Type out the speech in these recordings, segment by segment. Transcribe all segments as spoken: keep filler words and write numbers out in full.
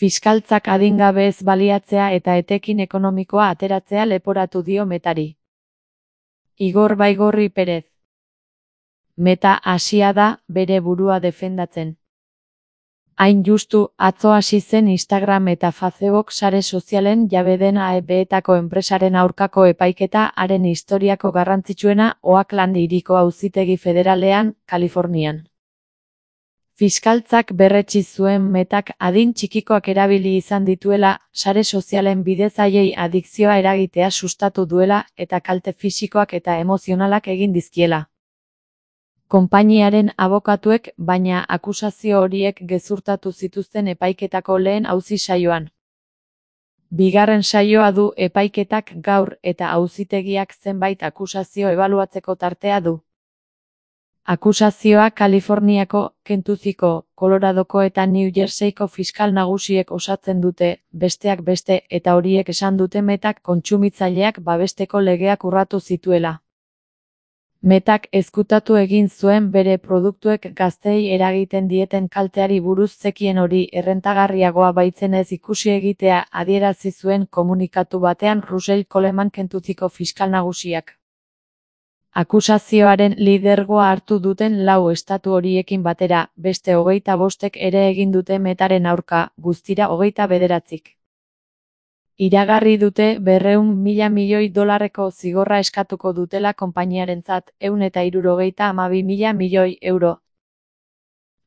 Fiskaltzak adingabeez baliatzea eta etekin ekonomikoa ateratzea leporatu dio Metari. Igor Baigorri Perez. Meta hasia da bere burua defendatzen. Hain justu, atzo hasi zen Instagram eta Facebook sare sozialen jabe den A E B-etako enpresaren aurkako epaiketa haren historiako garrantzitsuena Oakland hiriko auzitegi federalean, Kalifornian. Fiskaltzak berretsi zuen Metak adin txikikoak erabili izan dituela, sare sozialen bidez haiei adikzioa eragitea sustatu duela eta kalte fisikoak eta emozionalak egin dizkiela. Konpainiaren abokatuek, baina akusazio horiek gezurtatu zituzten epaiketako lehen auzi saioan. Bigarren saioa du epaiketak gaur eta auzitegiak zenbait akusazio ebaluatzeko tartea du. Akusazioa Kaliforniako, Kentuckiko, Coloradoko eta New Jerseyko fiskal nagusiek osatzen dute, besteak beste, eta horiek esan dute Metak kontsumitzaileak babesteko legeak urratu zituela. Metak ezkutatu egin zuen bere produktuek gazteei eragiten dieten kalteari buruz zekien hori errentagarriagoa baitzen ez ikusi egitea adierazi zuen komunikatu batean Russell Coleman Kentuckiko fiskal nagusiak. Akusazioaren lidergoa hartu duten lau estatu horiekin batera, beste hogeita bostek ere egin dute Metaren aurka, guztira hogeita bederatzik. Iragarri dute berrehun mila milioi dolarreko zigorra eskatuko dutela konpainiarentzat, ehun eta hirurogeita hamabi mila milioi euro.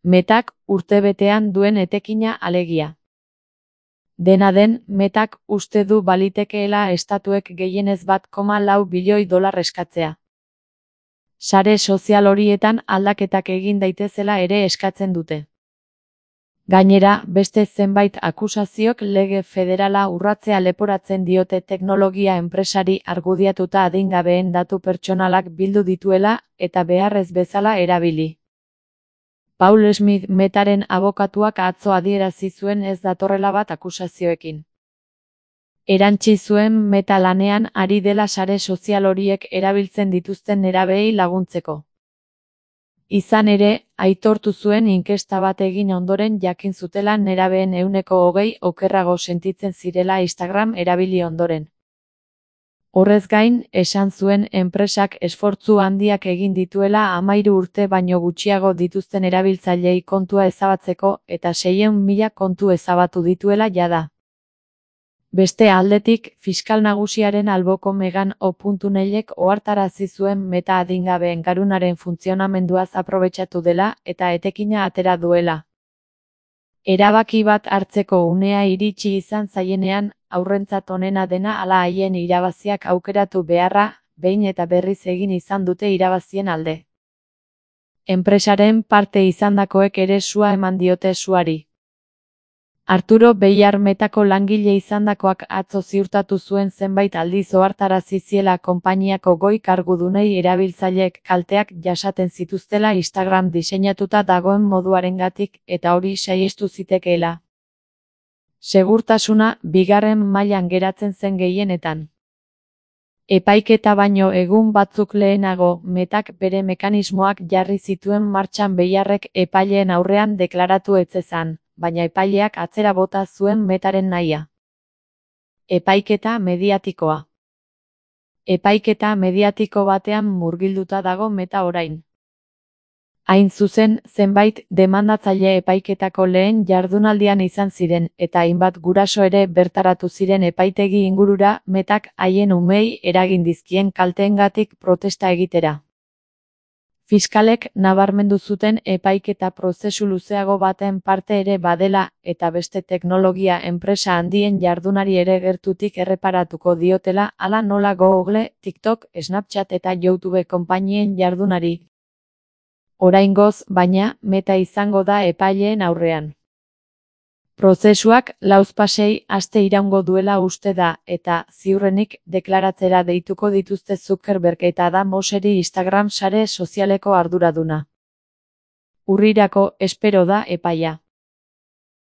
Metak urtebetean duen etekina alegia. Dena den, Metak uste du balitekeela estatuek gehienez bat koma lau bilioi dolar eskatzea. Sare sozial horietan aldaketak egin daitezela ere eskatzen dute. Gainera, beste zenbait akusaziok lege federala urratzea leporatzen diote teknologia enpresari argudiatuta adingabeen datu pertsonalak bildu dituela eta beharrez bezala erabili. Paul Smith Metaren abokatuak atzo adierazi zuen ez datorrela bat akusazioekin. Erantsi zuen Meta lanean ari dela sare sozial horiek erabiltzen dituzten nerabeei laguntzeko. Izan ere, aitortu zuen inkesta bat egin ondoren jakin zutela nerabeen ehuneko hogei okerrago sentitzen zirela Instagram erabili ondoren. Horrez gain, esan zuen enpresak esfortzu handiak egin dituela hamahiru urte baino gutxiago dituzten erabiltzaileei kontua ezabatzeko eta seiehun mila kontu ezabatu dituela jada. Beste aldetik, fiskal nagusiaren alboko Megan O'Neillek ohartarazi zuen Meta adingabeen garunaren funtzionamenduaz aprobetxatu dela eta etekina atera duela. Erabaki bat hartzeko unea iritsi izan zaienean, haurrentzat onena dena ala haien irabaziak aukeratu beharra, behin eta berriz egin izan dute irabazien alde. Enpresaren parte izandakoek ere sua eman diote suari. Arturo Beillar Metako langile izandakoak atzo ziurtatu zuen zenbait aldiz ohartarazi ziela konpainiako goi kargudunei erabiltzaileek kalteak jasaten zituztela Instagram diseinatuta dagoen moduarengatik eta hori saihestu zitekeela. Segurtasuna bigarren mailan geratzen zen gehienetan. Epaiketa baino egun batzuk lehenago, Metak bere mekanismoak jarri zituen martxan Beillarrek epaileen aurrean deklaratu ez zezan, baina epaileak atzera bota zuen Metaren nahia. Epaiketa mediatikoa. Epaiketa mediatiko batean murgilduta dago Meta orain. Hain zuzen, zenbait demandatzaile epaiketako lehen jardunaldian izan ziren, eta hainbat guraso ere bertaratu ziren epaitegi ingurura Metak haien umeei eragin dizkien kalteengatik protesta egitera. Fiskalek nabarmendu zuten epaiketa prozesu luzeago baten parte ere badela, eta beste teknologia enpresa handien jardunari ere gertutik erreparatuko diotela hala nola Google, TikTok, Snapchat eta YouTube konpainien jardunari. Oraingoz, baina, Meta izango da epaileen aurrean. Prozesuak lauzpasei aste iraungo duela uste da, eta, ziurrenik, deklaratzera deituko dituzte Zuckerberg eta Adam Mosseri Instagram sare sozialeko arduraduna. Urrirako espero da epaia.